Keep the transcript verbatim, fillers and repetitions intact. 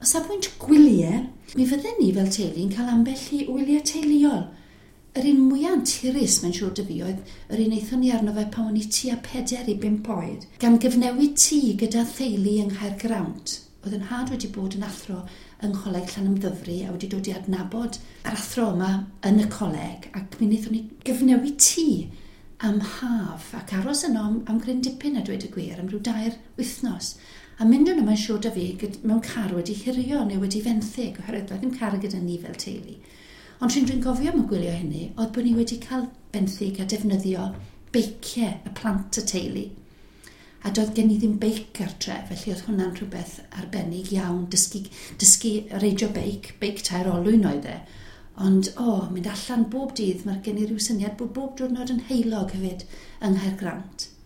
O safbwynt gwyliau, mi fydden ni fel teulu yn cael ambell i wyliau teuluol. Yr un mwyaf anturus, mae'n siŵr 'da fi, oedd yr un aethon ni arno fe pan o'n i tua pedair i bump oed, gan gyfnewid tŷ gyda theulu yng Nghaergrawnt. Oedd yn nhad wedi bod yn athro yng Ngholeg Llanymddyfri a wedi dod i adnabod yr athro yma yn y coleg, ac mi wnaethon ni gyfnewid tŷ am haf ac aros yno am, am gryn dipyn a dweud y gwir, am ryw dair wythnos. A mynd yno, mae'n siŵr da fi, mewn car wedi hurio neu wedi fenthyg, oherwydd doedd ddim car gyda ni fel teulu. Ond trin dwi'n gofio am y gwylio hynny, oedd bod ni wedi cael benthyg a defnyddio beiciau y plant y teulu. A doedd gen i ddim beic gartre, felly oedd hwnna'n rhywbeth arbennig iawn, dysgu, dysgu reidio beic, beic tair olwyn oedd e. Ond, o, oh, mynd allan bob dydd, mae gen i ryw syniad bod bob diwrnod yn heulog hefyd yng Nghaergrawnt.